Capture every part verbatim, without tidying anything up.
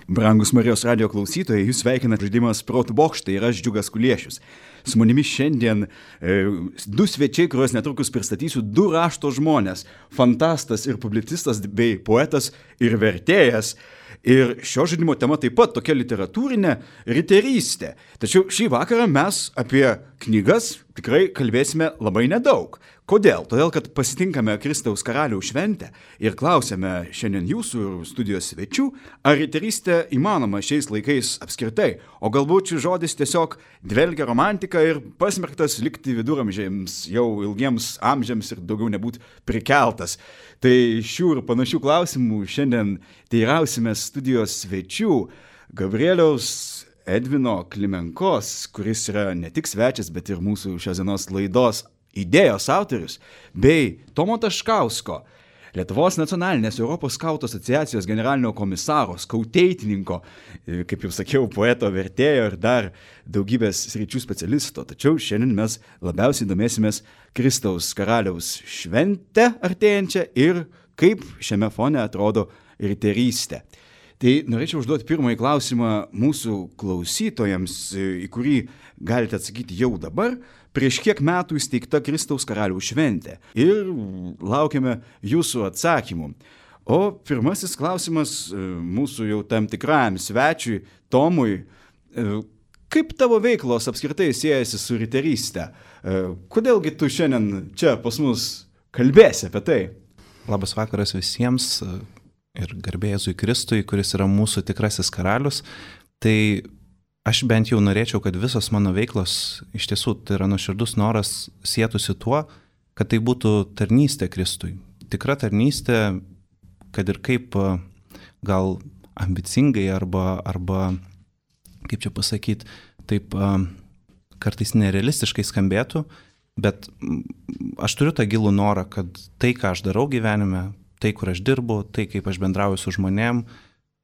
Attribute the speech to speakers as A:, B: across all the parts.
A: Brangus Marijos radijo klausytojai, jūs sveikina žaidimas Protų bokštai ir aš Džiugas Kuliešius. Su manimi šiandien e, du svečiai, kuriuos netrukus pristatysiu, du rašto žmonės. Fantastas ir publicistas bei poetas ir vertėjas. Ir šio žaidimo tema taip pat tokia literatūrinė riterystė. Tačiau šį vakarą mes apie knygas tikrai kalbėsime labai nedaug. Kodėl? Todėl, kad pasitinkame Kristaus karaliaus šventę ir klausėme šiandien jūsų ir studijos svečių, ar riterystė įmanoma šiais laikais apskritai, o galbūt šis žodis tiesiog dvelgia romantika ir pasmerktas likti viduramžiams jau ilgiems amžiams ir daugiau nebūt prikeltas. Tai šių ir panašių klausimų šiandien teirausime studijos svečių Gabrieliaus Edvino Klimenkos, kuris yra ne tik svečias, bet ir mūsų šios dienos laidos idėjos autorius, bei Tomo Taškausko, Lietuvos nacionalinės Europos skautų asociacijos generalinio komisaro, skautėtininko, kaip jau sakiau, poeto, vertėjo ir dar daugybės sričių specialisto. Tačiau šiandien mes labiausiai domėsimės Kristaus karaliaus šventę artėjančią ir kaip šiame fone atrodo riterystė. Tai norėčiau užduoti pirmąjį klausimą mūsų klausytojams, į kurį galite atsakyti jau dabar. Prieš kiek metų įsteigta Kristaus karaliaus šventė ir laukiame jūsų atsakymų. O pirmasis klausimas mūsų jau tam tikram svečiui, Tomui. Kaip tavo veiklos apskritai siejasi su riteryste? Kodėlgi tu šiandien čia pas mus kalbėsi apie tai?
B: Labas vakaras visiems ir garbė Jėzui Kristui, kuris yra mūsų tikrasis karalius. Tai aš bent jau norėčiau, kad visos mano veiklos iš tiesų tai yra nuoširdus noras sietųsi tuo, kad tai būtų tarnystė Kristui. Tikra tarnystė, kad ir kaip gal ambicingai arba, arba kaip čia pasakyti, taip kartais nerealistiškai skambėtų, bet aš turiu tą gilų norą, kad tai, ką aš darau gyvenime, tai, kur aš dirbu, tai, kaip aš bendrauju su žmonėm,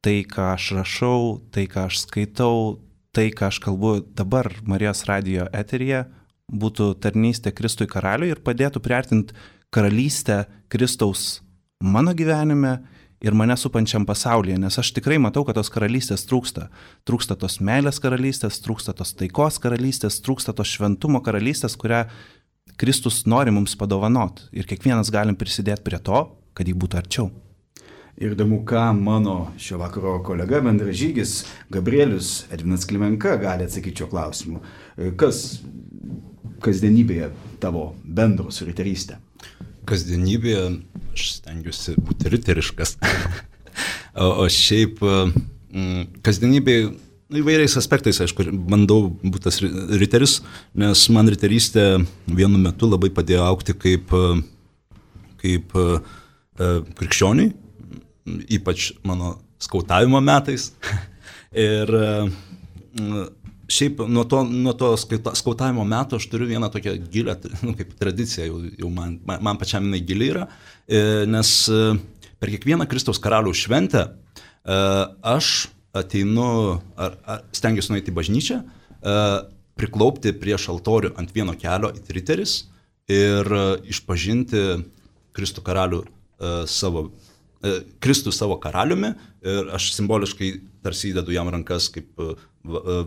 B: tai, ką aš rašau, tai, ką aš skaitau, tai, ką aš kalbu dabar Marijos radijo eteryje, būtų tarnystė Kristui karaliui ir padėtų priartinti karalystę Kristaus mano gyvenime ir mane supančiam pasaulyje, nes aš tikrai matau, kad tos karalystės trūksta. Trūksta tos meilės karalystės, trūksta tos taikos karalystės, trūksta tos šventumo karalystės, kurią Kristus nori mums padovanot. Ir kiekvienas galim prisidėti prie to, kad jį būtų arčiau.
A: Ir įdomu, ką mano šio vakaro kolega bendražygis Gabrielius Edvinas Klimenka gali atsakyti šio klausimu. Kas kasdienybėje tavo bendro su riterystė?
C: Kasdienybėje aš stengiuosi būti riteriškas. o, o šiaip kasdienybėje įvairiais aspektais, aišku, bandau būti tas riteris, nes man riterystė vienu metu labai padėjo augti kaip, kaip krikščioniui, ypač mano skautavimo metais. Ir šiaip nuo to, nuo to skautavimo metų aš turiu vieną tokią gilę, nu, kaip tradiciją, jau, jau man, man pačiam jinai gili yra, nes per kiekvieną Kristaus karaliaus šventę aš ateinu, ar, ar stengiuosi nueiti į bažnyčią, priklaupti prieš altorių ant vieno kelio it riteris ir išpažinti Kristų karalių savo Kristų savo karaliumi ir aš simboliškai tarsi įdedu jam rankas kaip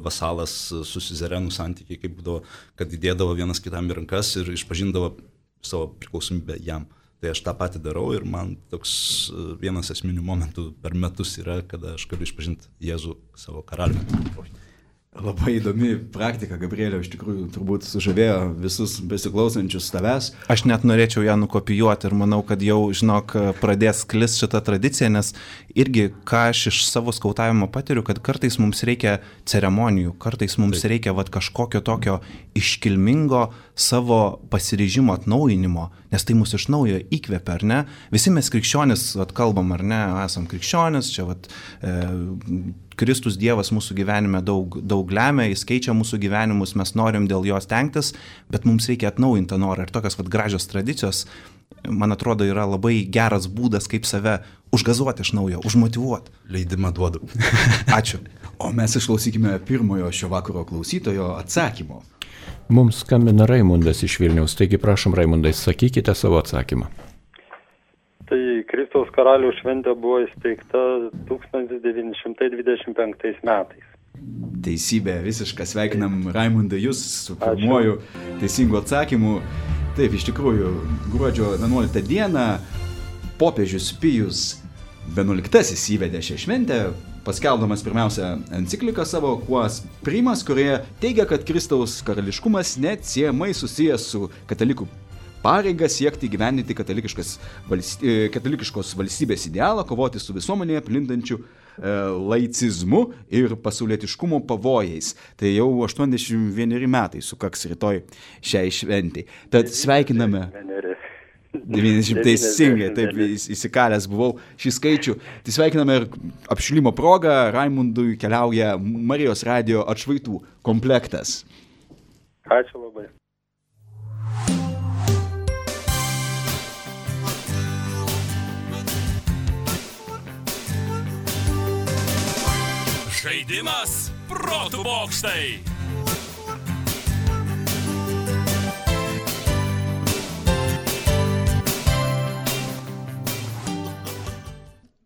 C: vasalas su siuzerenų santykiai, kaip būdavo, kad įdėdavo vienas kitam į rankas ir išpažindavo savo priklausomybę jam. Tai aš tą patį darau ir man toks vienas esminių momentų per metus yra, kada aš galiu išpažinti Jėzų savo karaliumi.
A: Labai įdomi praktika, Gabrielė, iš tikrųjų turbūt sužavėjo visus besiklausančius tavęs.
B: Aš net norėčiau ją nukopijuoti ir manau, kad jau, žinok, pradės sklis šitą tradiciją, nes irgi, ką aš iš savo skautavimo patiriu, kad kartais mums reikia ceremonijų, kartais mums Taip. reikia vat, kažkokio tokio iškilmingo savo pasiryžimo atnaujinimo, nes tai mus iš naujo įkvepia, ar ne? Visi mes krikščionis, vat, kalbam, ar ne, esam krikščionis, čia vat, e, Kristus Dievas mūsų gyvenime daug, daug lemia, jis keičia mūsų gyvenimus, mes norim dėl jo stengtis, bet mums reikia atnaujinti tą norą. Ir tokios vat, gražios tradicijos, man atrodo, yra labai geras būdas, kaip save užgazuoti iš naujo, užmotyvuoti.
C: Leidimą duodu.
B: Ačiū.
A: O mes išklausykime pirmojo šio vakaro klausytojo atsakymo.
D: Mums skambina Raimundas iš Vilniaus, taigi prašom, Raimundai, sakykite savo atsakymą.
E: Tai Kristus
D: Kristaus karalių šventė buvo įsteigta tūkstantis devyni šimtai dvidešimt penktais metais.
A: Teisybė, visiškai sveikinam Raimundai jūs su pirmuoju teisingu atsakymu. Taip, iš tikrųjų, gruodžio vienuoliktą dieną popiežius Pijus vienuoliktasis įvedė šią šventę, paskelbdamas pirmiausia encikliką savo Quas Primas, kurioje teigia, kad Kristaus karališkumas neatsiejamai susijęs su katalikų pareiga siekti gyveninti valsty, katalikiškos valstybės idealą, kovoti su visuomenėje plintančiu e, laicizmu ir pasaulietiškumo pavojais. Tai jau aštuoniasdešimt vieneri metai sukaks rytoj šiai šventei. Tad sveikiname. devyniasdešimt teisingai, taip įsikalęs buvau šį skaičių. Tai sveikiname ir apšilimo progą. Raimundui keliauja Marijos radijo atšvaitų komplektas.
D: Ačiū labai.
E: Žaidimas protų bokštai.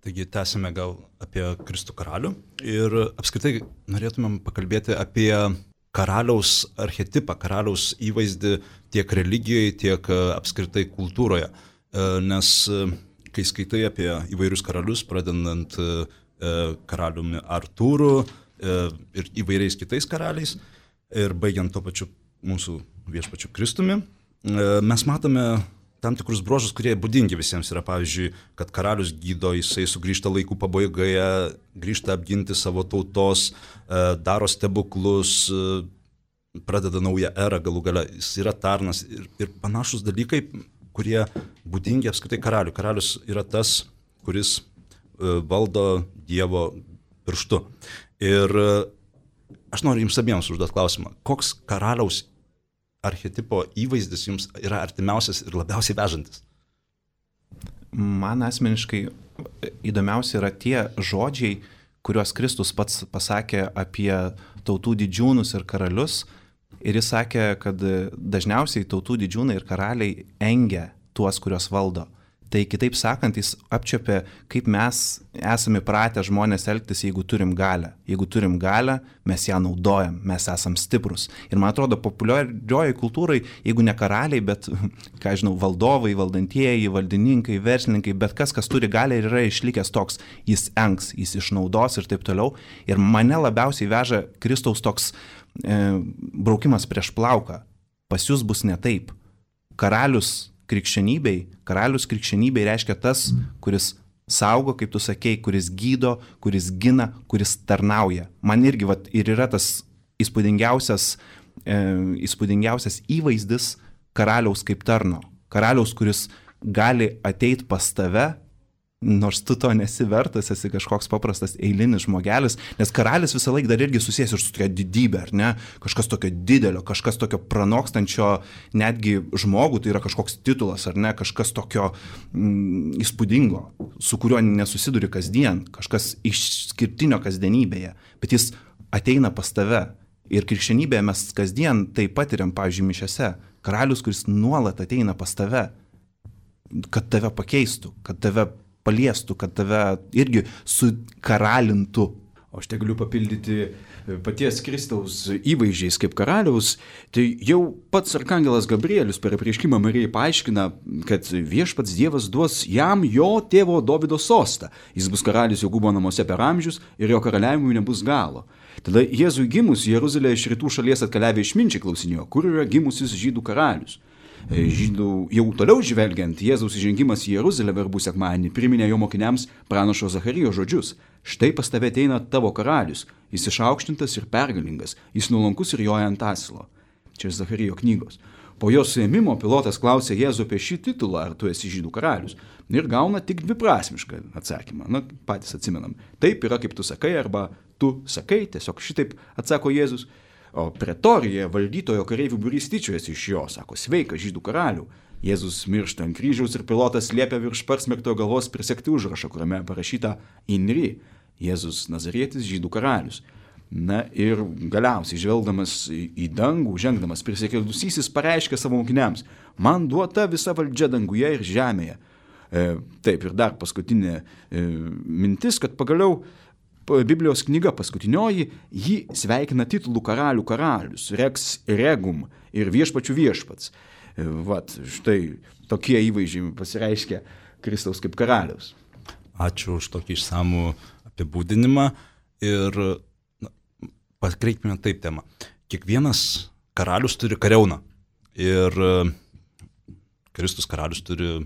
C: Taigi tęsime gal apie Kristų karalių ir apskritai norėtumėm pakalbėti apie karaliaus archetipą, karaliaus įvaizdį tiek religijoje, tiek apskritai kultūroje. Nes kai skaitai apie įvairius karalius, pradedant karaliumi Artūru ir įvairiais kitais karaliais ir baigiant to pačiu mūsų viešpačiu Kristumi, mes matome tam tikrus bruožus, kurie būdingi visiems yra, pavyzdžiui, kad karalius gydo, jisai sugrįžta laikų pabaigoje, grįžta apginti savo tautos, daro stebuklus, pradeda naują erą galų gale, jis yra tarnas ir, ir panašus dalykai, kurie būdingi apskritai karaliui. Karalius yra tas, kuris valdo Dievo pirštu. Ir aš noriu jums abiems užduoti klausimą, koks karaliaus archetipo įvaizdis jums yra artimiausias ir labiausiai vežantis?
B: Man asmeniškai įdomiausia yra tie žodžiai, kuriuos Kristus pats pasakė apie tautų didžiūnus ir karalius. Ir jis sakė, kad dažniausiai tautų didžiūnai ir karaliai engia tuos, kuriuos valdo. Tai kitaip sakant, jis apčiopė, kaip mes esame pratę žmonės elgtis, jeigu turim galią. Jeigu turim galią, mes ją naudojam, mes esam stiprus. Ir man atrodo, populiarioji kultūrai, jeigu ne karaliai, bet, ką žinau, valdovai, valdantieji, valdininkai, verslininkai, bet kas, kas turi galią ir yra išlikęs toks, jis engs, jis išnaudos ir taip toliau. Ir mane labiausiai veža Kristaus toks e, braukimas prieš plauką. Pas jūs bus ne taip. Karalius krikščionybei, karalius krikščionybei reiškia tas, kuris saugo, kaip tu sakei, kuris gydo, kuris gina, kuris tarnauja. Man irgi vat, ir yra tas įspūdingiausias, e, įspūdingiausias įvaizdis karaliaus kaip tarno. Karaliaus, kuris gali ateiti pas tave, nors tu to nesi vertas, esi kažkoks paprastas eilinis žmogelis, nes karalis visą laiką dar irgi susijęs ir su tokia didybė, ar ne? Kažkas tokio didelio, kažkas tokio pranokstančio netgi žmogų, tai yra kažkoks titulas, ar ne? Kažkas tokio mm, įspūdingo, su kuriuo nesusiduri kasdien, kažkas išskirtinio kasdienybėje, bet jis ateina pas tave. Ir krikščionybėje mes kasdien taip patiriam, pavyzdžiui, mišiose. Karalius, kuris nuolat ateina pas tave, kad tave pakeistų, kad tave paliestų, kad tave irgi sukaralintų.
A: O aš te galiu papildyti paties Kristaus įvaizdžiais kaip karaliaus. Tai jau pats arkangelas Gabrielius per apreiškimą Marijai paaiškina, kad viešpats Dievas duos jam jo tėvo Dovydo sostą. Jis bus karalius Jokūbo namuose per amžius ir jo karaliavimui nebus galo. Tada Jėzui gimus Jeruzalė iš rytų šalies atkeliavę išminčiai klausinėjo, kur yra gimusis žydų karalius. Žydų jau toliau žvelgiant, Jėzaus įžengimas į Jeruzalę verbų sekmadienį priminė jo mokiniams pranašo Zacharijo žodžius. Štai pas tave ateina tavo karalius, jis išaukštintas ir pergalingas, jis nuolankus ir joja ant asilo. Čia Zacharijo knygos. Po jo suėmimo pilotas klausė Jėzų apie šį titulą, ar tu esi žydų karalius, ir gauna tik dviprasmišką atsakymą. Na, patys atsimenam. Taip yra, kaip tu sakai, arba tu sakai, tiesiog šitaip atsako Jėzus. O pretorija valdytojo kareivių būrys tyčiojasi iš jo, sako, sveika žydų karalių. Jėzus miršta ant kryžiaus ir pilotas liepia virš parsmegto galvos prisegti užrašą, kuriame parašyta Inri, Jėzus Nazarietis žydų karalius. Na ir galiausiai žvelgdamas į dangų, žengdamas prisikėlusysis pareiškė savo mokiniams, man duota visa valdžia danguje ir žemėje. Taip, ir dar paskutinė mintis, kad pagaliau Biblijos knyga paskutinioji, ji sveikina titulų karalių karalius, Rex Regum ir viešpačių viešpats. Vat, štai tokie įvaizdžiai pasireiškia Kristaus kaip karaliaus.
C: Ačiū už tokį išsamų apibūdinimą ir na, pakreipime taip temą. Kiekvienas karalius turi kariauną ir Kristus karalius turi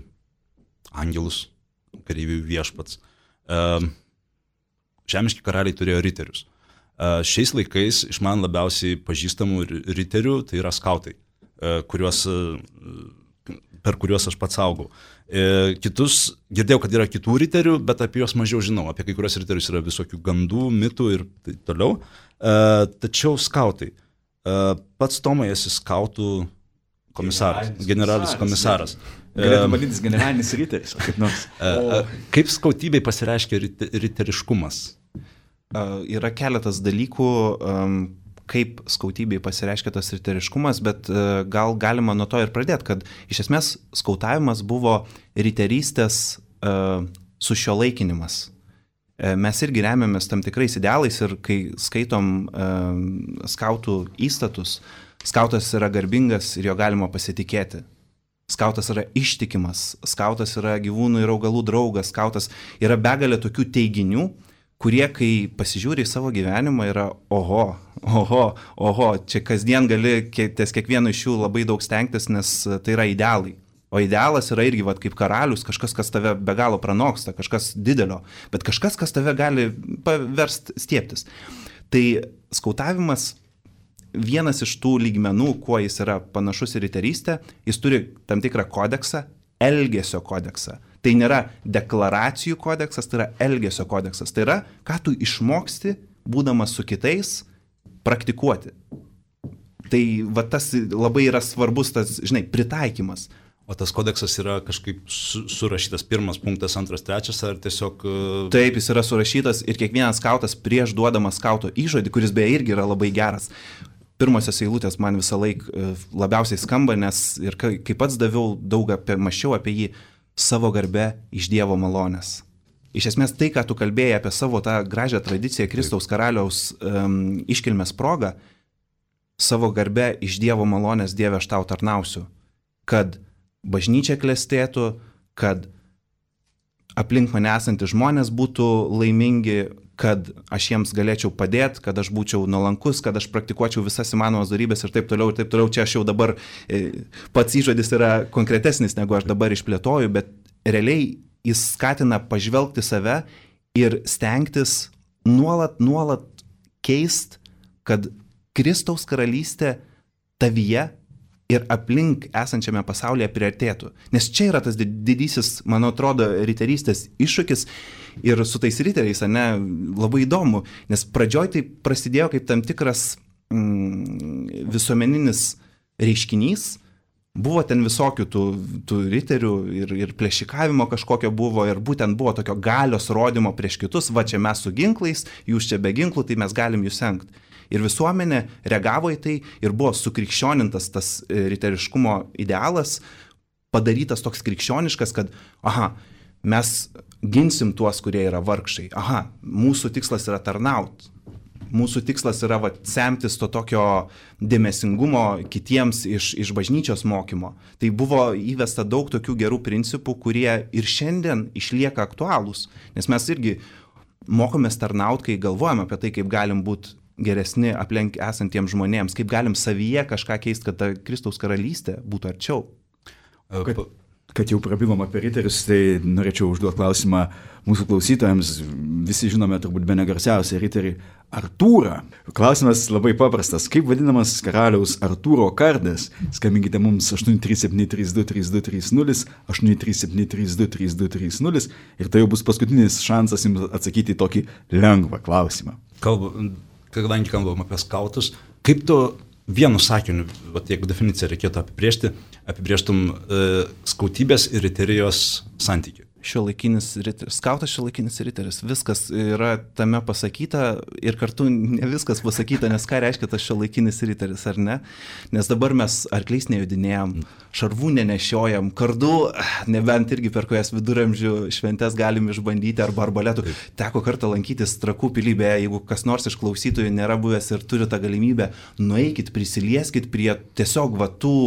C: angelus, kareivių viešpats. Žemiški karaliai turėjo riterius. Šiais laikais iš man labiausiai pažįstamų riterių tai yra skautai, kuriuos, per kuriuos aš pats augau. Kitus, girdėjau, kad yra kitų riterių, bet apie juos mažiau žinau. Apie kai kurios riterius yra visokių gandų, mitų ir taip toliau. Tačiau skautai. Pats Tomai esi skautų komisaras, generalinis, generalinis komisaras.
A: Galėtum vadintis generalinis riteris, kaip nors.
C: O... Kaip skautybei pasireiškia riteriškumas?
B: Yra keletas dalykų, kaip skautybei pasireiškia tas riteriškumas, bet gal galima nuo to ir pradėti, kad iš esmės skautavimas buvo riterystės sušiuolaikinimas. Mes irgi remiamės tam tikrais idealais ir kai skaitom skautų įstatus, skautas yra garbingas ir jo galima pasitikėti. Skautas yra ištikimas, skautas yra gyvūnų ir augalų draugas, skautas yra begalė tokių teiginių, kurie, kai pasižiūri į savo gyvenimą, yra oho, oho, oho, čia kasdien gali ties kiekvienu iš jų labai daug stengtis, nes tai yra idealai. O idealas yra irgi vat, kaip karalius, kažkas, kas tave be galo pranoksta, kažkas didelio, bet kažkas, kas tave gali paversti stieptis. Tai skautavimas, vienas iš tų lygmenų, kuo jis yra panašus į riterystę, jis turi tam tikrą kodeksą, elgesio kodeksą. Tai nėra deklaracijų kodeksas, tai yra elgesio kodeksas. Tai yra, ką tu išmoksti, būdamas su kitais, praktikuoti. Tai va, tas labai yra svarbus tas, žinai, pritaikymas.
C: O tas kodeksas yra kažkaip su, surašytas pirmas punktas, antras, trečias, ar tiesiog...
B: Taip, jis yra surašytas ir kiekvienas skautas prieš duodamas skauto įžodį, kuris beje irgi yra labai geras. Pirmosios eilutės man visą laik labiausiai skamba, nes ir kai, kai pats daviau daug apie, maščiau apie jį, savo garbę iš Dievo malonės. Iš esmės tai, ką tu kalbėjai apie savo tą gražią tradiciją Kristaus karaliaus um, iškilmės progą, savo garbę iš Dievo malonės Dieve aš tau tarnausiu, kad bažnyčia klestėtų, kad aplink mane esantys žmonės būtų laimingi, kad aš jiems galėčiau padėti, kad aš būčiau nuolankus, kad aš praktikuočiau visas įmanomas darybės ir taip toliau, ir taip toliau. Čia aš jau dabar, pats įžodis yra konkretesnis, negu aš dabar išplėtoju, bet realiai jis skatina pažvelgti save ir stengtis nuolat, nuolat keist, kad Kristaus karalystė tavyje ir aplink esančiame pasaulyje priartėtų. Nes čia yra tas didysis, man atrodo, riterystės iššūkis ir su tais riteriais, ne, labai įdomu, nes pradžioj tai prasidėjo kaip tam tikras mm, visuomeninis reiškinys, buvo ten visokių tų, tų riterių ir, ir plėšikavimo kažkokio buvo ir būtent buvo tokio galios rodymo prieš kitus, va čia mes su ginklais, jūs čia be ginklų, tai mes galim jūs engti. Ir visuomenė reagavo į tai ir buvo sukrikščionintas tas riteriškumo idealas, padarytas toks krikščioniškas, kad, aha, mes ginsim tuos, kurie yra vargšai, aha, mūsų tikslas yra tarnaut, mūsų tikslas yra va, semtis to tokio dėmesingumo kitiems iš, iš bažnyčios mokymo. Tai buvo įvesta daug tokių gerų principų, kurie ir šiandien išlieka aktualūs, nes mes irgi mokomės tarnaut, kai galvojame apie tai, kaip galim būti geresni aplink esantiems žmonėms, kaip galim savyje kažką keisti, kad ta Kristaus karalystė būtų arčiau.
A: Kad, kad jau prabilom apie riterius, tai norėčiau užduoti klausimą mūsų klausytojams. Visi žinome turbūt bene garsiausią riterį Artūrą. Klausimas labai paprastas. Kaip vadinamas karaliaus Artūro kardas? Skambinkite mums aštuoni trys septyni trys du trys du trys nulis, aštuoni trys septyni trys du trys du trys nulis ir tai jau bus paskutinis šansas jums atsakyti į tokį lengvą klausimą.
C: Kalba... Kadangi kalbam apie skautus, kaip tu vienu sakiniu, vat, jeigu definiciją reikėtų apibrėžti, apibrėžtum e, skautybės ir riterijos santykį
B: šiuolaikinis riteris, skautas šiuolaikinis riteris, viskas yra tame pasakyta ir kartu ne viskas pasakyta, nes ką reiškia tas šiuolaikinis riteris, ar ne? Nes dabar mes arkliais nejudinėjom, šarvų nenešiojam, kardu, nebent irgi per kojas viduramžių šventes galim išbandyti arba arbaletų. Teko kartą lankytis Trakų pilybėje, jeigu kas nors iš klausytojų nėra buvęs ir turi tą galimybę, nueikit, prisilieskit prie tiesiog va tų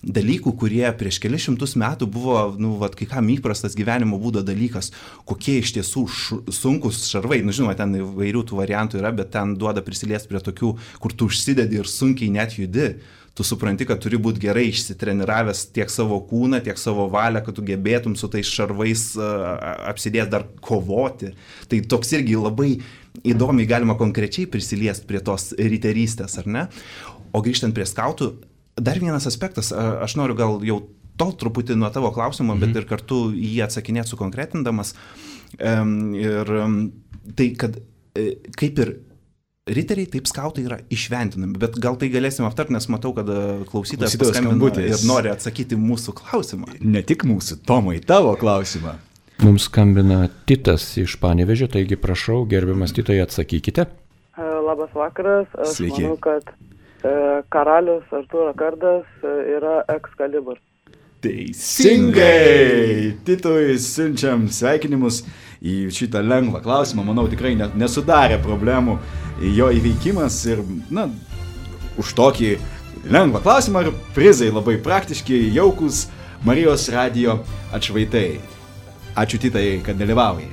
B: dalykų, kurie prieš kelius šimtus metų buvo, nu, vat, kai kam įprastas gyvenimo būdo dalykas, kokie iš tiesų š, sunkus šarvai, nu, žinoma, ten įvairių tų variantų yra, bet ten duoda prisiliesti prie tokių, kur tu užsidedi ir sunkiai net judi. Tu supranti, kad turi būti gerai išsitreniravęs tiek savo kūną, tiek savo valią, kad tu gebėtum su tais šarvais uh, apsidės dar kovoti. Tai toks irgi labai įdomiai galima konkrečiai prisiliesti prie tos riterystės, ar ne? O grįžtant prie skautų, dar vienas aspektas, aš noriu gal jau tol truputį nuo tavo klausimo, bet ir kartu jį atsakinėti sukonkretindamas. Ir tai, kad kaip ir riteriai, taip skautai yra išventinami, bet gal tai galėsim aptarti, nes matau, kad klausytojas paskambino ir nori atsakyti mūsų klausimą.
A: Ne tik mūsų, Tomai, tavo klausimą.
F: Mums skambina Titas iš Panevėžio, taigi prašau, gerbiamas Titai, atsakykite.
G: Labas vakaras, aš
A: Sveiki.
G: manau, kad karalius Artūro kardas yra Excalibur.
A: Teisingai! Titui siunčiam sveikinimus į šitą lengvą klausimą. Manau, tikrai nesudarė problemų jo įveikimas ir, na, už tokį lengvą klausimą ir prizai labai praktiški, jaukus Marijos radijo atšvaitai. Ačiū, Titai, kad dalyvaujai.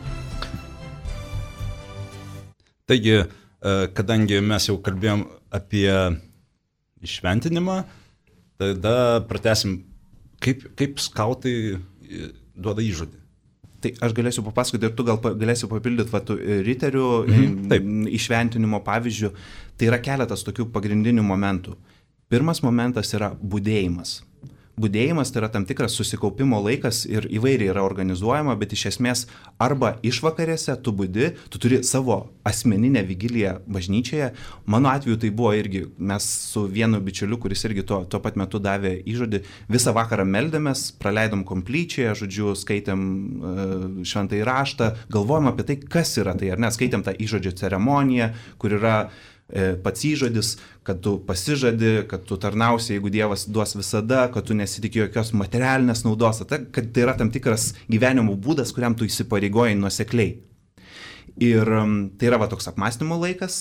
C: Taigi, kadangi mes jau kalbėjom apie išventinimą, tada pratęsim, kaip, kaip skautai duoda įžodį.
B: Tai aš galėsiu papasakoti ir tu gal galėsiu papildyti va, riterių
C: mhm,
B: išventinimo pavyzdžių. Tai yra keletas tokių pagrindinių momentų. Pirmas momentas yra budėjimas. Budėjimas tai yra tam tikras susikaupimo laikas ir įvairiai yra organizuojama, bet iš esmės arba išvakarėse tu budi, tu turi savo asmeninę vigiliją bažnyčioje. Mano atveju tai buvo irgi, mes su vienu bičiuliu, kuris irgi tuo, tuo pat metu davė įžodį, visą vakarą meldėmės, praleidom komplyčioje, žodžiu, skaitėm uh, šventąjį raštą, galvojom apie tai, kas yra tai, ar ne, skaitėm tą įžodžio ceremoniją, kur yra pats įžodis, kad tu pasižadi, kad tu tarnausi, jeigu Dievas duos visada, kad tu nesitikė jokios materialinės naudos, kad tai yra tam tikras gyvenimo būdas, kuriam tu įsipareigoji nuosekliai. Ir tai yra va toks apmąstymo laikas.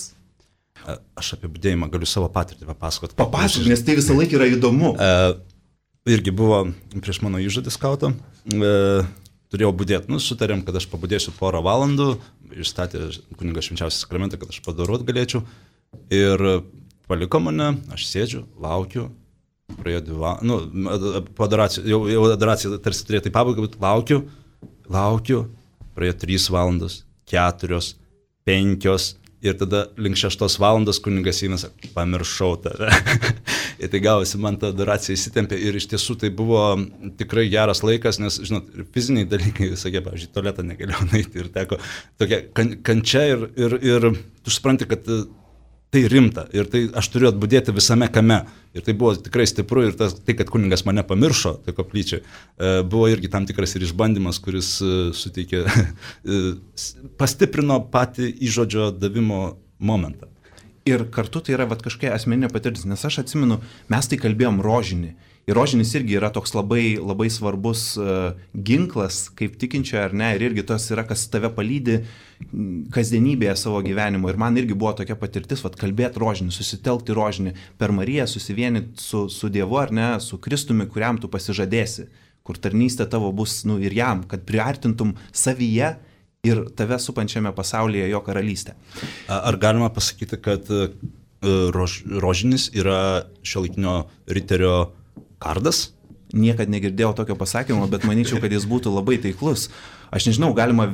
C: Aš apie budėjimą galiu savo patirtį papasakoti.
B: Papasakot, nes tai visą laiką yra įdomu.
C: E, irgi buvo prieš mano įžodį skauto. E, turėjau budėti. Nu, sutarėm, kad aš pabudėsiu porą valandų. Išstatė kunigas švenčiausią sakramentą, kad aš padarot galėčiau. Ir paliko mane, aš sėdžiu, laukiu, praėjo dvi valandas, nu, po adoracijos, jau, jau adoracija tarsi turėtų į pabaigą, bet laukiu, laukiu, praėjo trys valandos, keturios, penkios, ir tada link šeštos valandos kunigas įnas, pamiršau tave. Ir tai gavosi, man ta adoracija įsitempė ir iš tiesų tai buvo tikrai geras laikas, nes, žinot, fiziniai dalykai visokie, pavyzdžiui, tualetą negalėjau nueiti ir teko tokia kan, kančia ir, ir, ir tu supranti, kad tai rimta ir tai aš turiu atbudėti visame kame. Ir tai buvo tikrai stipru ir tas, tai, kad kunigas mane pamiršo, tai koplyčiai, buvo irgi tam tikras ir išbandymas, kuris suteikė, pastiprino patį įžodžio davimo momentą.
B: Ir kartu tai yra vat, kažkokia asmeninė patirtis, nes aš atsimenu, mes tai kalbėjom rožinį. Ir rožinis irgi yra toks labai, labai svarbus uh, ginklas, kaip tikinčio ar ne, ir irgi tas yra, kas tave palydi kasdienybėje savo gyvenimo. Ir man irgi buvo tokia patirtis, vat, kalbėti rožinį, susitelkti rožinį, per Mariją susivienyti su, su Dievu ar ne, su Kristumi, kuriam tu pasižadėsi, kur tarnystė tavo bus nu, ir jam, kad priartintum savyje ir tave supančiame pasaulyje jo karalystę.
C: Ar galima pasakyti, kad rož, rožinis yra šiuolaikinio riterio kardas?
B: Niekad negirdėjau tokio pasakymo, bet manyčiau, kad jis būtų labai taiklus. Aš nežinau, galima,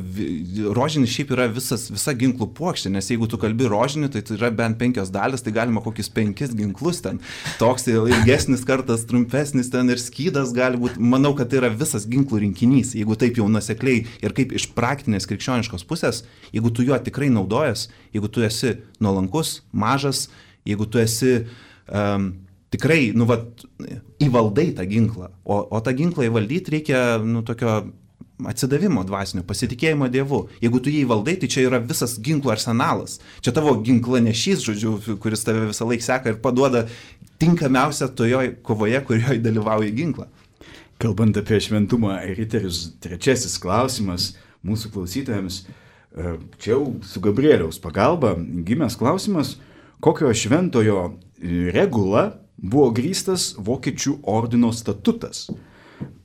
B: rožinis šiaip yra visas, visa ginklų puokštė, nes jeigu tu kalbi rožinį, tai tai yra bent penkios dalis, tai galima kokius penkis ginklus ten. Toks ilgesnis kartas, trumpesnis ten ir skydas gali būti. Manau, kad tai yra visas ginklų rinkinys, jeigu taip jau nuosekliai ir kaip iš praktinės krikščioniškos pusės, jeigu tu juo tikrai naudojas, jeigu tu esi nuolankus, mažas, jeigu tu esi um, tikrai, nu, vat, įvaldai tą ginklą, o, o tą ginklą įvaldyti reikia, nu, tokio atsidavimo dvasinio, pasitikėjimo Dievu. Jeigu tu jį valdai, tai čia yra visas ginklų arsenalas. Čia tavo ginklanešys, žodžiu, kuris tave visą laiką seka ir paduoda tinkamiausią toje kovoje, kurioje dalyvauja ginklą.
A: Kalbant apie šventumą, riterius, trečiasis klausimas mūsų klausytojams. Čia jau su Gabrieliaus pagalba gimęs klausimas, kokio šventojo regula buvo grįstas Vokiečių ordino statutas.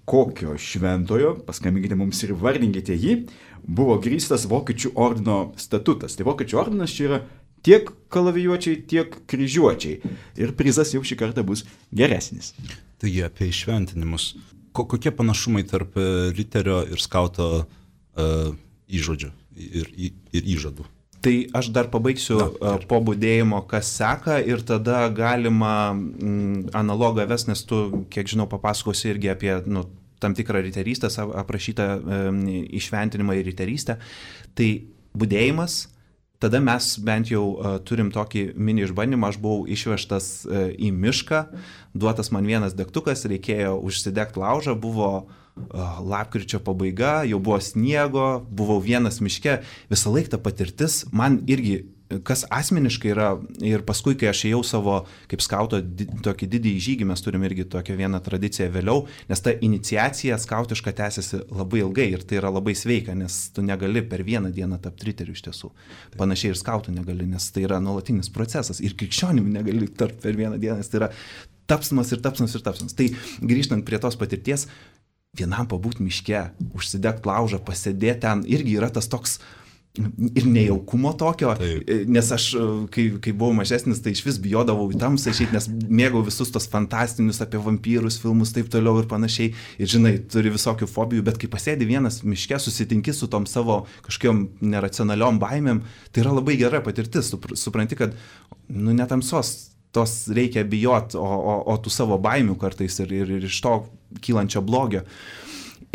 A: Kokio šventojo, paskambinkite mums ir vardinkite jį, buvo grįstas Vokiečių ordino statutas. Tai Vokiečių ordinas čia yra tiek kalavijuočiai, tiek kryžiuočiai. Ir prizas jau šį kartą bus geresnis.
C: Taigi apie išventinimus. Kokie panašumai tarp riterio ir skauto uh, įžodžių ir, ir, ir įžadų?
B: Tai aš dar pabaigsiu Na, po budėjimo, kas seka, ir tada galima mm, analogą ves, nes tu, kiek žinau, papasakosi irgi apie nu, tam tikrą riterystę, aprašytą e, išventinimą ir riterystę. Tai budėjimas, tada mes bent jau e, turim tokį mini išbandymą, aš buvau išvežtas e, į mišką, duotas man vienas degtukas, reikėjo užsidegti laužą, buvo lapkričio pabaiga, jau buvo sniego, buvau vienas miške, visą laiką ta patirtis, man irgi, kas asmeniškai yra, ir paskui, kai aš ėjau savo, kaip skauto, di, tokį didįjį žygį, mes turim irgi tokią vieną tradiciją vėliau, nes ta iniciacija skautiška tęsiasi labai ilgai ir tai yra labai sveika, nes tu negali per vieną dieną tapti riteriu iš tiesų. Panašiai ir skautų negali, nes tai yra nuolatinis procesas ir krikščionimi negali tapti per vieną dieną, nes tai yra tapsmas ir tapsmas ir tapsmas. Tai grįžtant prie tos patirties, vienam pabūt miške, užsidegt laužą, pasėdėti ten, irgi yra tas toks ir nejaukumo tokio, Taip. Nes aš, kai, kai buvau mažesnis, tai iš vis bijodavau į tamsą išeiti, nes mėgau visus tos fantastinius apie vampyrus filmus, taip toliau ir panašiai, ir žinai, turi visokių fobijų, bet kai pasėdi vienas miške, susitinki su tom savo kažkokiom neracionaliom baimėm, tai yra labai gera patirtis, supranti, kad nu netamsos tos reikia bijot, o, o, o tų savo baimių kartais ir, ir, ir iš to kylančio blogio.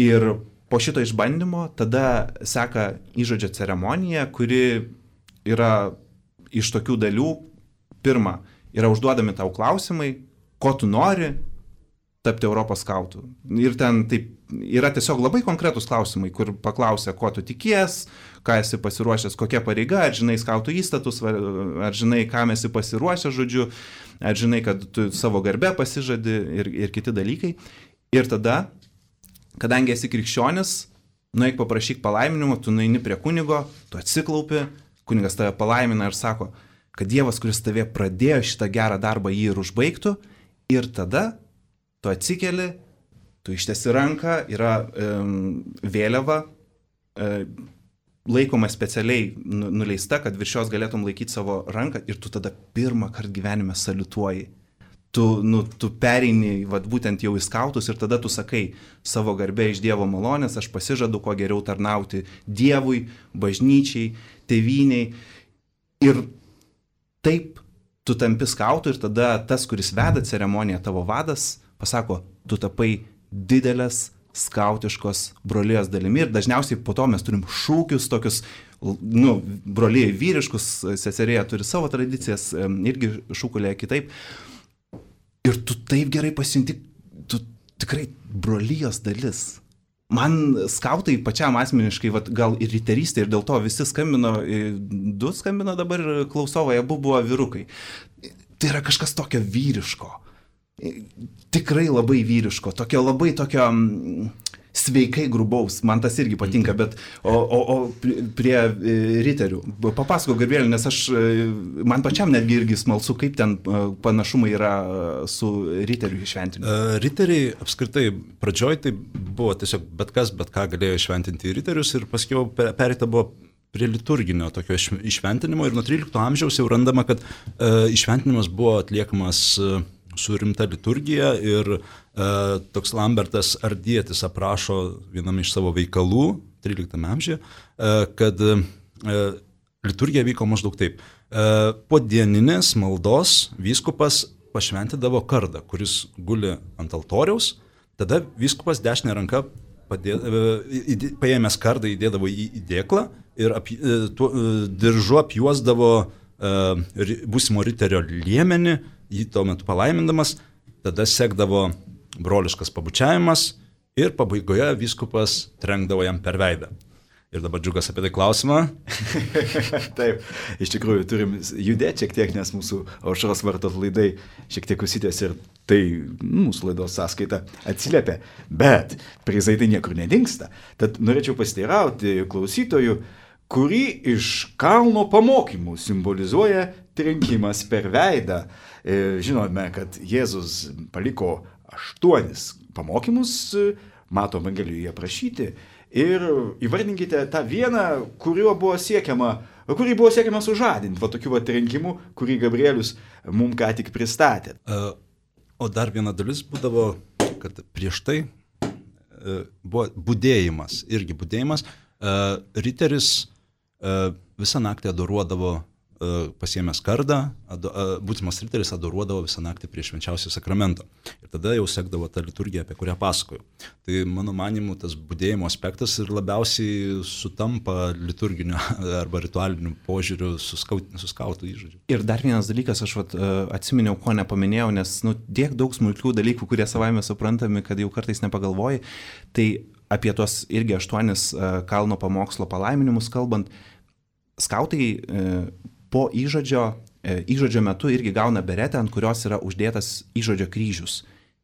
B: Ir po šito išbandymo tada seka įžodžio ceremonija, kuri yra iš tokių dalių. Pirma, yra užduodami tau klausimai, ko tu nori tapti Europos skautų. Ir ten taip, yra tiesiog labai konkretus klausimai, kur paklausia, ko tu tikies, ką esi pasiruošęs, kokia pareiga, ar žinai skautų įstatus, ar žinai, kam esi pasiruošęs, žodžiu, ar žinai, kad tu savo garbę pasižadi ir, ir kiti dalykai. Ir tada, kadangi esi krikščionis, nueik paprašyk palaiminimo, tu nueini prie kunigo, tu atsiklaupi, kunigas tave palaimina ir sako, kad Dievas, kuris tave pradėjo šitą gerą darbą, jį ir užbaigtų, ir tada tu atsikeli, tu ištiesi ranką, yra um, vėliava, um, laikoma specialiai nuleista, kad virš jos galėtum laikyti savo ranką ir tu tada pirmą kartą gyvenime saliutuoji. Tu, nu, tu pereini vat, būtent jau į skautus ir tada tu sakai savo garbę iš Dievo malonės, aš pasižadu, kuo geriau tarnauti Dievui, bažnyčiai, tėvyniai. Ir taip tu tampi skautu ir tada tas, kuris veda ceremoniją, tavo vadas, pasako, tu tapai didelės skautiškos brolijos dalimi ir dažniausiai po to mes turim šūkius tokius, nu, brolijai vyriškus, seserėje turi savo tradicijas, irgi šūkulėje kitaip. Ir tu taip gerai pasijunti, tu tikrai brolijos dalis. Man skautai pačiam asmeniškai, vat, gal ir riterystė, ir dėl to visi skambino, du skambino dabar klausovai, abu buvo vyrukai. Tai yra kažkas tokio vyriško. Tikrai labai vyriško, tokio labai tokio sveikai grubaus, man tas irgi patinka, bet o, o, o prie riterių, papasako Gabrielė, nes aš, man pačiam netgi irgi smalsu, kaip ten panašumai yra su riterių išventinimu.
C: Riteriai apskritai pradžioj tai buvo tiesiog bet kas, bet ką galėjo išventinti riterius ir paskiau pereita buvo prie liturginio tokio išventinimo ir nuo trylikto amžiaus jau randama, kad uh, išventinimas buvo atliekamas uh, su rimta liturgija ir e, toks Lambertas Ardietis aprašo vienam iš savo veikalų, tryliktame amžiuje, e, kad e, liturgija vyko maždaug taip. E, po dieninės maldos vyskupas pašventindavo kardą, kuris guli ant altoriaus, tada vyskupas dešinę ranką padė, e, paėmęs kardą įdėdavo į įdėklą ir ap, e, tuo, e, diržu apjuosdavo e, būsimo riterio liemenį, jį tuo metu palaimindamas, tada sekdavo broliškas pabučiavimas ir pabaigoje vyskupas trenkdavo jam per veidą. Ir dabar Džiugas apie tai klausimą.
A: Taip, iš tikrųjų turim judėti šiek tiek, nes mūsų aušros vartos laidai šiek tiek užsitęs ir tai mūsų laidos sąskaita atsiliepia. Bet prizai tai niekur nedingsta. Tad norėčiau pasiteirauti klausytojų, kurį iš kalno pamokymų simbolizuoja trenkimas per veidą. Žinome, kad Jėzus paliko aštuonis pamokymus, Mato Evangelijoje aprašyti. Ir įvardinkite tą vieną, kuriuo buvo siekiama, kurį buvo siekiama sužadinti, va tokių va trenkimų, kurį Gabrielius mums ką tik pristatė.
C: O dar viena dalis būdavo, kad prieš tai buvo budėjimas, irgi budėjimas. Riteris visą naktį adoruodavo, pasiėmęs kardą, būsimas riteris adoruodavo visą naktį prie švenčiausio sakramento. Ir tada jau sekdavo tą liturgiją, apie kurią pasakoju. Tai mano manimu, tas budėjimo aspektas ir labiausiai sutampa liturginio arba ritualiniu požiūriu su, skaut, su skautų įžodžiu.
B: Ir dar vienas dalykas, aš vat, atsiminiau, ko nepaminėjau, nes nu, tiek daug smulkių dalykų, kurie savaime suprantami, kad jau kartais nepagalvoji, tai apie tuos irgi aštuonis kalno pamokslo palaiminimus kalbant, skautai po įžodžio, įžodžio metu irgi gauna beretę, ant kurios yra uždėtas įžodžio kryžius.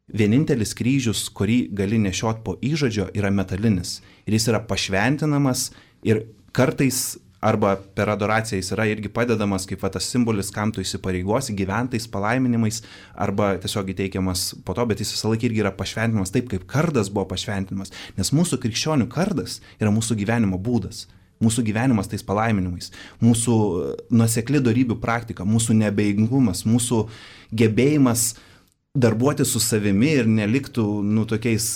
B: Vienintelis kryžius, kurį gali nešiot po įžodžio, yra metalinis. Ir jis yra pašventinamas ir kartais arba per adoraciją jis yra irgi padedamas kaip va, tas simbolis, kam tu įsipareigosi, gyventais palaiminimais arba tiesiog įteikiamas po to, bet jis visą laiką irgi yra pašventinamas taip, kaip kardas buvo pašventinamas. Nes mūsų krikščionių kardas yra mūsų gyvenimo būdas. Mūsų gyvenimas tais palaiminimais, mūsų nuosekli dorybių praktika, mūsų neabejingumas, mūsų gebėjimas darbuoti su savimi ir neliktų, nu, tokiais,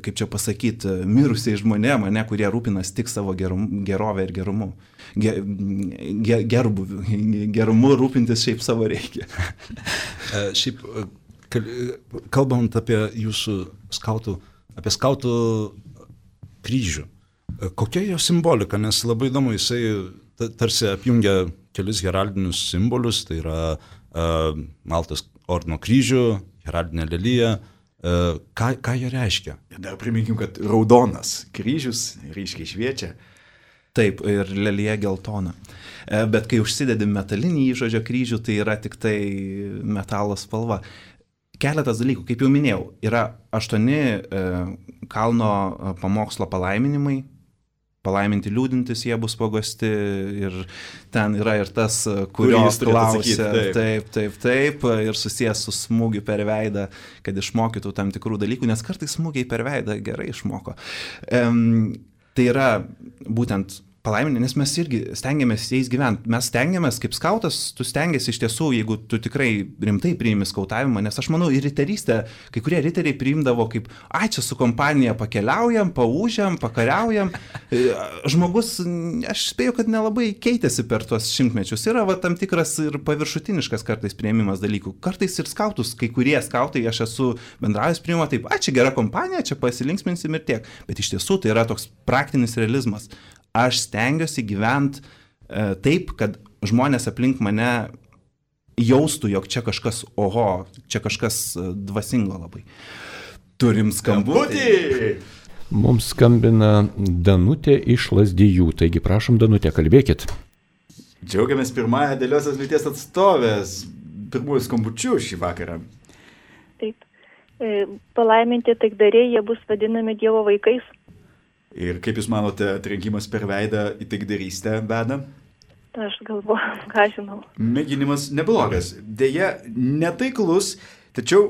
B: kaip čia pasakyti, mirusiais žmonėm, ne, kurie rūpinas tik savo gerum, gerovę ir gerumu. Ge, ge, gerbuviu, gerumu rūpintis šiaip savo reikia.
C: Šiaip, kalbant apie jūsų skautų, apie skautų kryžių, kokia jo simbolika, nes labai įdomu, jisai tarsi apjungia kelis heraldinius simbolius, tai yra uh, Maltos ordino kryžių, heraldinė lelija, uh, ką, ką jie reiškia?
A: Dar priminkim, kad raudonas kryžius ryškiai šviečia.
B: Taip, ir lelija geltona. Bet kai užsidedi metalinį įžodžio kryžių, tai yra tik tai metalo spalva. Keletas dalykų, kaip jau minėjau, yra aštuoni e, kalno pamokslo palaiminimai. Palaiminti liūdintis jie bus pagosti ir ten yra ir tas, kurio klausia, taip. taip, taip, taip, ir susijęs su smūgiu per veidą, kad išmokytų tam tikrų dalykų, nes kartais smūgiai per veidą gerai išmoko. Um, tai yra būtent palaiminti, nes mes irgi stengiamės jais gyventi. Mes stengiamės, kaip skautas, tu stengiasi iš tiesų, jeigu tu tikrai rimtai priimi skautavimą, nes aš manau, ir riterystę, kai kurie riteriai priimdavo kaip, ai, čia su kompanija pakeliaujam, paūžiam, pakariaujam. Žmogus, aš spėju, kad nelabai keitėsi per tuos šimtmečius. Yra va, tam tikras ir paviršutiniškas kartais priėmimas dalykų. Kartais ir skautus, kai kurie skautai, aš esu bendravęs priima taip, ai, čia gera kompanija, čia pasilinksminsim ir tiek. Bet iš tiesų tai yra toks praktinis realizmas. Aš stengiuosi gyventi e, taip, kad žmonės aplink mane jaustų, jog čia kažkas, oho, čia kažkas dvasingo labai. Turim skambutį.
F: Mums skambina Danutė iš Lazdijų, taigi prašom, Danutė, kalbėkit.
A: Džiaugiamės pirmąją Dėliosios lyties atstovės, pirmųjų skambučių šį vakarą.
H: Taip, e, palaiminti taikdariai, jie bus vadinami Dievo vaikais.
A: Ir kaip Jūs manote, trenkimas per veidą į taikdarystę veda?
H: Aš galvoju, ką žinau.
A: Mėginimas neblogas. Deja, netaiklus, tačiau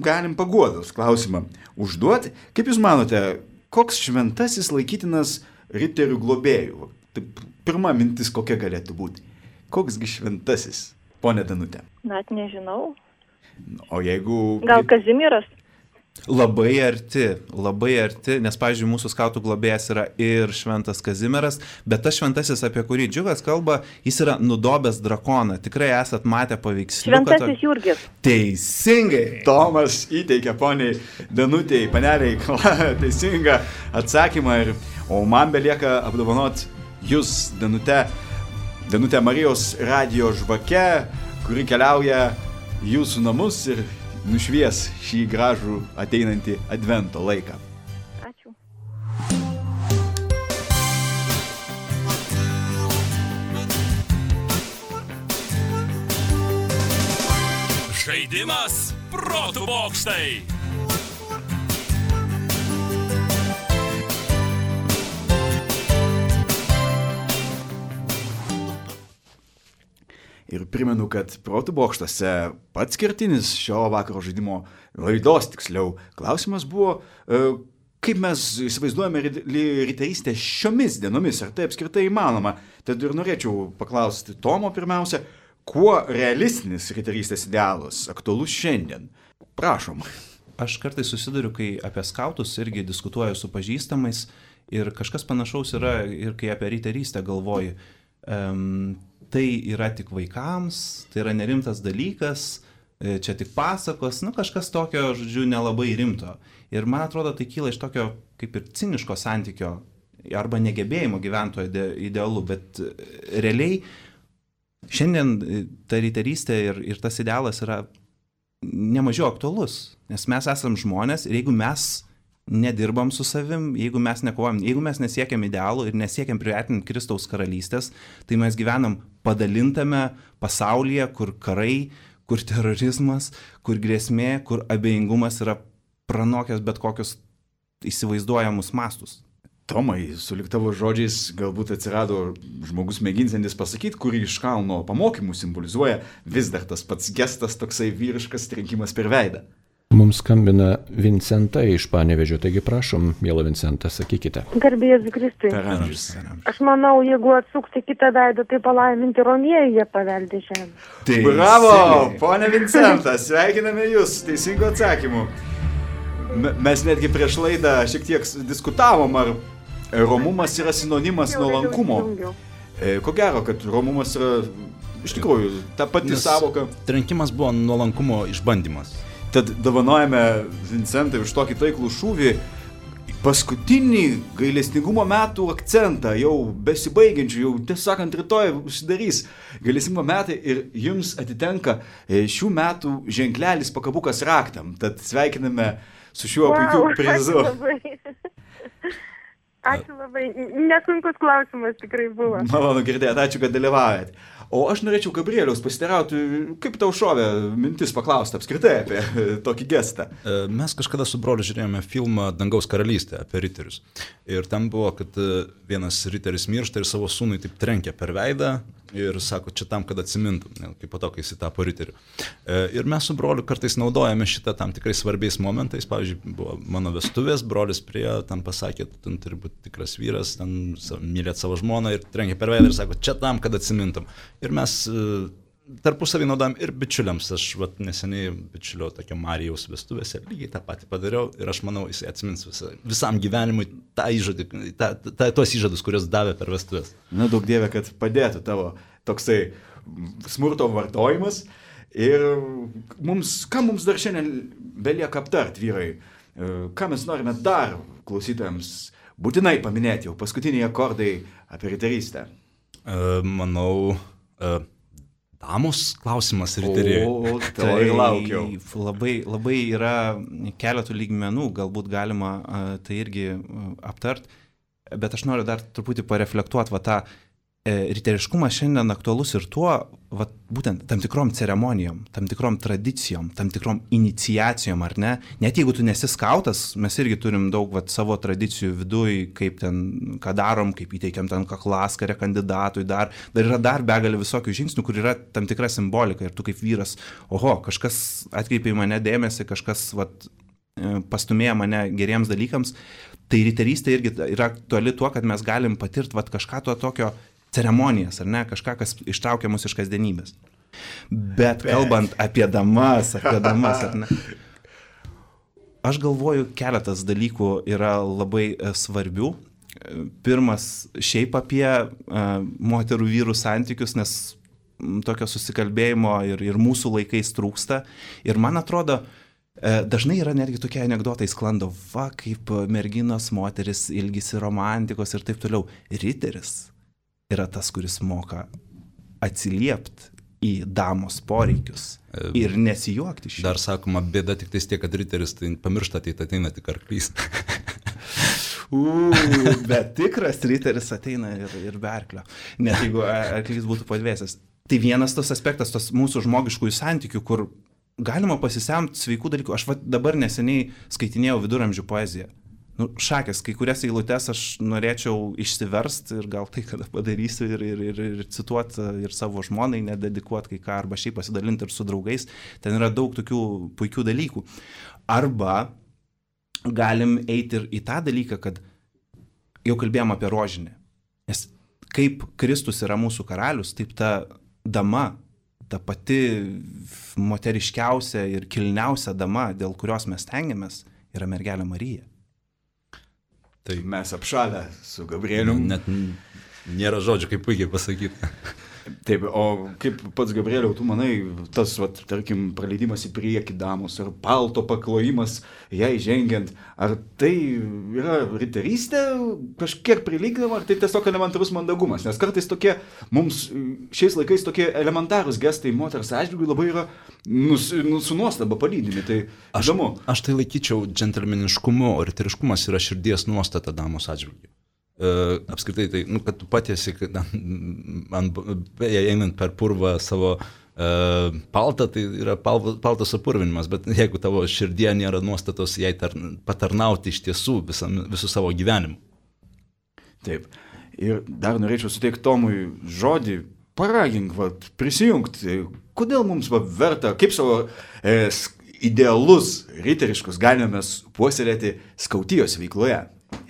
A: galim paguodos klausimą užduoti. Kaip Jūs manote, koks šventasis laikytinas riterių globėjų? Taip, pirma mintis kokia galėtų būti. Koksgi šventasis, ponė Danutė?
H: Net nežinau.
A: O jeigu...
H: Gal Kazimieras?
B: Labai arti, labai arti, nes, pavyzdžiui, mūsų skautų globėjas yra ir šventas Kazimieras, bet tas šventasis, apie kurį Džiugas kalba, jis yra nudobęs drakoną. Tikrai esat matę paveiksliuką.
H: Šventasis Jurgis.
B: Teisingai.
A: Tomas įteikia poniai Danutei, paneliai, teisingą atsakymą. Ir, o man belieka apdovanoti Jūs, Danute, Danute Marijos radijo žvake, kuri keliauja Jūsų namus ir nušvies šį gražų ateinantį advento laiką.
E: Žaidimas protų bokštai.
A: Ir primenu, kad protų bokštose pats kertinis šio vakaro žaidimo laidos, tiksliau, klausimas buvo, kaip mes įsivaizduojame riterystę šiomis dienomis, ar tai apskritai įmanoma. Tad ir norėčiau paklausti Tomo pirmiausia, kuo realistinis riterystės idealas aktualus šiandien? Prašom.
B: Aš kartais susiduriu, kai apie skautus irgi diskutuoju su pažįstamais ir kažkas panašaus yra ir kai apie riterystę galvoju. Um, tai yra tik vaikams, tai yra nerimtas dalykas, čia tik pasakos, nu kažkas tokio, žodžiu, nelabai rimto. Ir man atrodo, tai kyla iš tokio kaip ir ciniško santykio arba negebėjimo gyventojo idealu, bet realiai šiandien ta riterystė ir, ir tas idealas yra nemažiau aktualus, nes mes esam žmonės ir jeigu mes nedirbam su savim, jeigu mes nekovojam, jeigu mes nesiekiam idealų ir nesiekiam priartinti Kristaus karalystės, tai mes gyvenam padalintame pasaulyje, kur karai, kur terorizmas, kur grėsmė, kur abejingumas yra pranokęs bet kokius įsivaizduojamus mastus.
A: Tomai, sulig tavo žodžiais galbūt atsirado žmogus mėginsantis pasakyti, kurį iš kalno pamokymų simbolizuoja vis dar tas pats gestas, toksai vyriškas trenkimas per veidą.
F: Mums skambina Vincenta iš Panevėžio, taigi prašom, miela Vincenta, sakykite.
I: Garbėjas Kristui.
A: Per amžius.
I: Aš manau, jeigu atsukti kitą veidą, tai palaiminti romieji jie paveldė žemę.
A: Tai bravo, ponia Vincenta, sveikiname jūs, teisingo atsakymu. Mes netgi prieš laidą šiek tiek diskutavom, ar romumas yra sinonimas nuolankumo. Ko gero, kad romumas yra iš tikrųjų ta pati savoka.
C: Trenkimas buvo nuolankumo išbandymas.
A: Tad dovanojame Vincentai už tokį taiklų šūvį paskutinį gailestingumo metų akcentą, jau besibaigiančių, jau tiesą sakant, rytoj užsidarys gailestingumo metai ir jums atitenka šių metų ženklelis pakabukas raktam. Tad sveikiname su šiuo wow, puikiu prizu.
I: Ačiū labai. Ačiū labai. Nesunkus klausimas tikrai buvo.
A: Malonu girdėti, ačiū, kad dalyvaujat. O aš norėčiau Gabrieliaus pasiteirauti, kaip tau šovė mintis paklausti apskritai apie tokį gestą.
C: Mes kažkada su broliu žiūrėjome filmą Dangaus karalystė apie riterius. Ir ten buvo, kad vienas riteris miršta ir savo sūnui taip trenkia per veidą ir sako, čia tam, kad atsimintum, kaip po to, kai jis tapo riteriu. Ir mes su broliu kartais naudojame šitą tam tikrai svarbiais momentais. Pavyzdžiui, buvo mano vestuvės, brolis prie ten pasakė, ten turi būti tikras vyras, ten mylėt savo žmoną ir trenkia per veidą ir sako, čia tam, kad atsimintum. Ir mes tarpusavį naudojam ir bičiuliams. Aš vat, neseniai bičiulio tokio Marijaus vestuvėse lygiai tą patį padariau ir aš manau, jis atsimins visa, visam gyvenimui tą įžadį, tą, tą, tuos įžadus, kuriuos davė per vestuvės.
A: Na, daug dieve, kad padėtų tavo toksai smurto vartojimas. Ir mums, ką mums dar šiandien belieka aptart, vyrai? Ką mes norime dar klausytojams būtinai paminėti jau paskutiniai akordai apie riterystę?
C: Manau, damos klausimas riteriai.
A: O, to ir laukiau.
B: Labai, labai yra keletų lygmenų, galbūt galima tai irgi aptart, bet aš noriu dar truputį pareflektuoti va tą riteriškumas šiandien aktualus ir tuo, va, būtent tam tikrom ceremonijom, tam tikrom tradicijom, tam tikrom iniciacijom, ar ne? Net jeigu tu nesi skautas, mes irgi turim daug va, savo tradicijų viduj, kaip ten, ką darom, kaip įteikiam ten kaklaskarę kandidatui, dar, dar yra dar begalė visokių žingsnių, kur yra tam tikra simbolika ir tu kaip vyras, oho, kažkas atkreipė į mane dėmesį, kažkas va, pastumėjo mane geriems dalykams, tai riterystė irgi yra aktuali tuo, kad mes galim patirti va, kažką to tokio ceremonijas, ar ne, kažką, kas ištraukia mus iš kasdienybės. Bet kalbant apie damas, apie damas, ar ne, aš galvoju, keletas dalykų yra labai svarbių. Pirmas, šiaip apie uh, moterų vyrų santykius, nes tokio susikalbėjimo ir, ir mūsų laikais trūksta. Ir man atrodo, uh, dažnai yra netgi tokie anekdotai sklando, va, kaip merginos, moteris ilgisi romantikos ir taip toliau. Riteris yra tas, kuris moka atsiliepti į damos poreikius ir nesijuokti šį.
C: Dar sakoma, bėda tik tais tiek, kad riteris tai pamiršta, tai ateina tik arklys.
B: Uuu, bet tikras riteris ateina ir, ir be arklio, net jeigu arklys būtų padvėsęs. Tai vienas tas aspektas, tos mūsų žmogiškųjų santykių, kur galima pasisemti sveikų dalykų. Aš va, dabar neseniai skaitinėjau viduramžių poeziją. Nu, šakės, kai kurias eilutes aš norėčiau išsiversti ir gal tai kada padarysiu ir, ir, ir, ir cituoti ir savo žmonai, nededikuoti kai ką, arba šiaip pasidalinti ir su draugais. Ten yra daug tokių puikių dalykų. Arba galim eiti ir į tą dalyką, kad jau kalbėjom apie rožinį. Nes kaip Kristus yra mūsų karalius, taip ta dama, ta pati moteriškiausia ir kilniausia dama, dėl kurios mes tengiamės, yra mergelė Marija.
A: Tai mes apšalę su Gabrieliu.
C: Net nėra žodžių, kaip puikiai pasakyti.
A: Taip, o kaip pats Gabrieliau, tu manai, tas, vat, tarkim, praleidimas į priekį damos ar palto paklojimas jai žengiant, ar tai yra riterystė kažkiek prilygdama, ar tai tiesiog elementarus mandagumas? Nes kartais tokie, mums šiais laikais tokie elementarūs gestai moters atžvilgiu labai yra nus, nus, su nuostaba palydimi. Tai
C: aš,
A: įdomu.
C: Aš tai laikyčiau džentelmeniškumu, o riteriškumas yra širdies nuostata damos atžvilgiu. Uh, apskritai, tai, nu, kad tu patiesi, kad ant, einant per purvą savo uh, paltą, tai yra pal, paltas apurvinimas, bet jeigu tavo širdie nėra nuostatos jai tar, patarnauti iš tiesų visam, visų savo gyvenimu.
A: Taip. Ir dar norėčiau suteikti Tomui žodį, paragink, va, prisijungti. Kodėl mums va, verta, kaip savo e, idealus riteriškus galime puoselėti skautijos veikloje?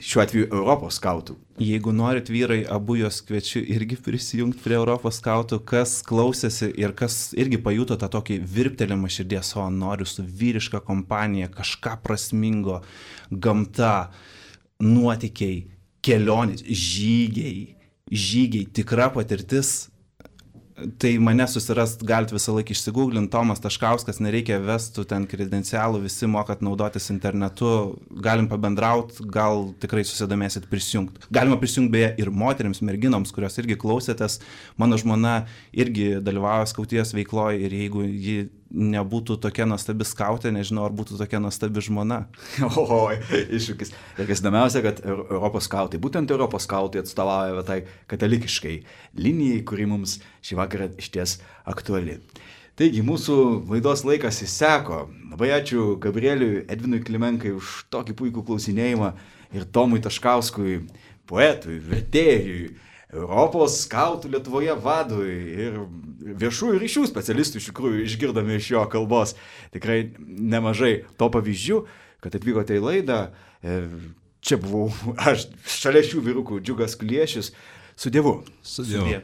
A: Šiuo atveju Europos skautų.
B: Jeigu norit vyrai, abu jos kviečiu irgi prisijungti prie Europos skautų, kas klausėsi ir kas irgi pajuto tą tokį virptelėjimą širdies, o noriu su vyriška kompanija, kažką prasmingo, gamta, nuotykiai, kelionės, žygiai, žygiai, tikra patirtis. Tai mane susirast galit visą laiką išsigūglinti, Tomas Taškauskas, nereikia vestų ten kredencialų, visi mokat naudotis internetu, galim pabendrauti, gal tikrai susidomėsit prisijungti. Galima prisijungti beje ir moteriams, merginoms, kurios irgi klausėtės. Mano žmona irgi dalyvauja skautijos veikloje ir jeigu ji nebūtų tokia nuostabi skautė, nežinau, ar būtų tokia nuostabi žmona.
A: O, iššūkis. Ir kas įdomiausia, kad Europos skautai, būtent Europos skautai atstovauja tai katalikiškai linijai, kuri mums šį vakarą išties aktuali. Taigi, mūsų laidos laikas įseko. Labai ačiū Gabrieliui Edvinui Klimenkai už tokį puikų klausinėjimą ir Tomui Taškauskui, poetui, vertėjui, Europos skautų Lietuvoje vadui ir viešųjų ryšių specialistų iš tikrųjų išgirdome iš jo kalbos tikrai nemažai to pavyzdžių, kad atvykote į laidą. Čia buvau aš, šalia šių vyrukų Džiugas Kuliešius. Su Dievu.
C: Su Dievu.